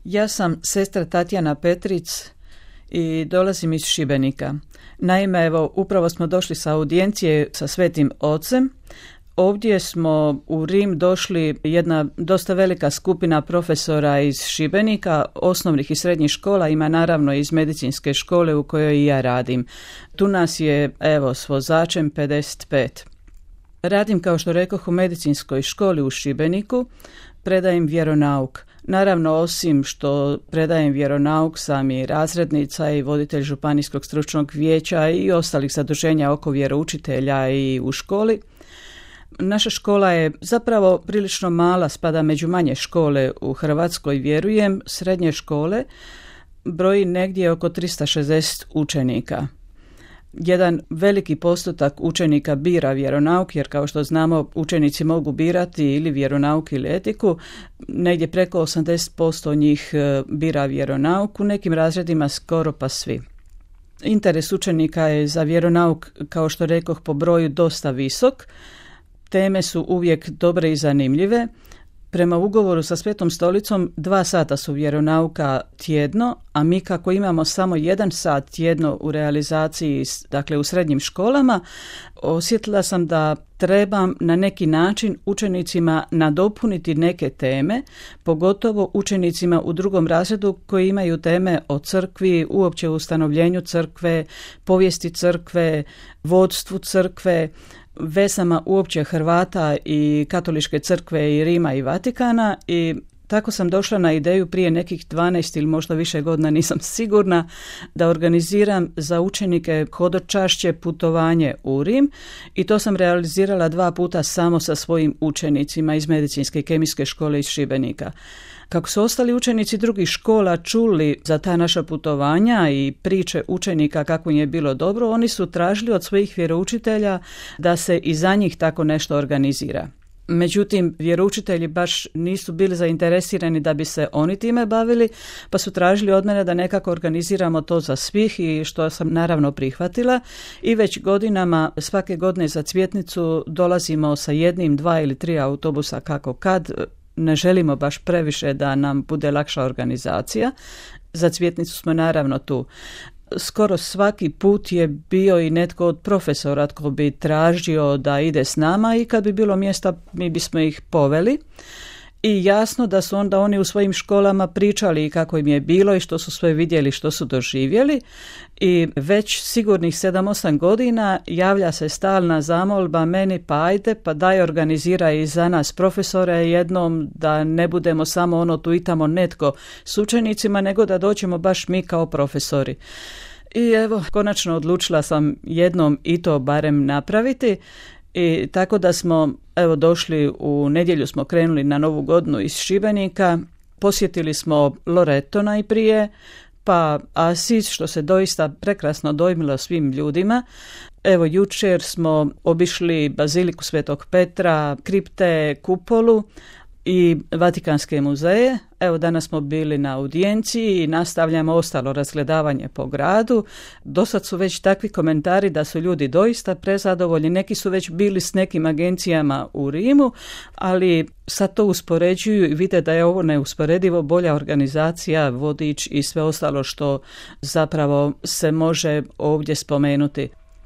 Ja sam sestra Tatjana Petric i dolazim iz Šibenika. Naime, evo, upravo smo došli sa audijencije sa Svetim Ocem. Ovdje smo u Rim došli jedna dosta velika skupina profesora iz Šibenika, osnovnih i srednjih škola, ima naravno iz medicinske škole u kojoj i ja radim. Tu nas je, evo, s vozačem 55. Radim, kao što rekoh, u medicinskoj školi u Šibeniku, predajem vjeronauk. Naravno, osim što predajem vjeronauk, sam i razrednica i voditelj županijskog stručnog vijeća i ostalih zaduženja oko vjeroučitelja i u školi. Naša škola je zapravo prilično mala, spada među manje škole u Hrvatskoj, vjerujem. Srednje škole broji negdje oko 360 učenika. Jedan veliki postotak učenika bira vjeronauk, jer kao što znamo učenici mogu birati ili vjeronauk ili etiku. Negdje preko 80% njih bira vjeronauk, u nekim razredima skoro pa svi. Interes učenika je za vjeronauk, kao što rekoh, po broju dosta visok. Teme su uvijek dobre i zanimljive. Prema ugovoru sa Svetom stolicom 2 sata su vjeronauka tjedno, a mi kako imamo samo 1 sat tjedno u realizaciji, dakle u srednjim školama, osjetila sam da trebam na neki način učenicima nadopuniti neke teme, pogotovo učenicima u 2. razredu koji imaju teme o crkvi, uopće o ustanovljenju crkve, povijesti crkve, vodstvu crkve, vezama uopće Hrvata i katoličke crkve i Rima i Vatikana, i tako sam došla na ideju prije nekih 12 ili možda više godina, nisam sigurna, da organiziram za učenike hodočašće putovanje u Rim, i to sam realizirala 2 puta samo sa svojim učenicima iz medicinske i kemijske škole iz Šibenika. Kako su ostali učenici drugih škola čuli za ta naša putovanja i priče učenika kako im je bilo dobro, oni su tražili od svojih vjeroučitelja da se i za njih tako nešto organizira. Međutim, vjeroučitelji baš nisu bili zainteresirani da bi se oni time bavili, pa su tražili od mene da nekako organiziramo to za svih, i što sam naravno prihvatila. I već godinama, svake godine za Cvjetnicu dolazimo sa 1, 2 ili 3 autobusa kako kad. Ne želimo baš previše da nam bude lakša organizacija. Za Cvjetnicu smo naravno tu. Skoro svaki put je bio i netko od profesora tko bi tražio da ide s nama, i kad bi bilo mjesta mi bismo ih poveli. I jasno da su onda oni u svojim školama pričali kako im je bilo i što su sve vidjeli, što su doživjeli, i već sigurnih 7-8 godina javlja se stalna zamolba meni, pa ajde, pa daj organiziraj i za nas profesore jednom, da ne budemo samo ono tu i tamo netko s učenicima, nego da dođemo baš mi kao profesori. I evo, konačno odlučila sam jednom i to barem napraviti. I tako da smo, evo, došli u nedjelju, smo krenuli na Novu godinu iz Šibenika, posjetili smo Loreto najprije, pa Asis, što se doista prekrasno dojmilo svim ljudima. Evo, jučer smo obišli Baziliku Svetog Petra, kripte, kupolu i Vatikanske muzeje. Evo, danas smo bili na audijenciji i nastavljamo ostalo razgledavanje po gradu. Dosad su već takvi komentari da su ljudi doista prezadovoljni. Neki su već bili s nekim agencijama u Rimu, ali sad to uspoređuju i vide da je ovo neusporedivo bolja organizacija, vodič i sve ostalo što zapravo se može ovdje spomenuti.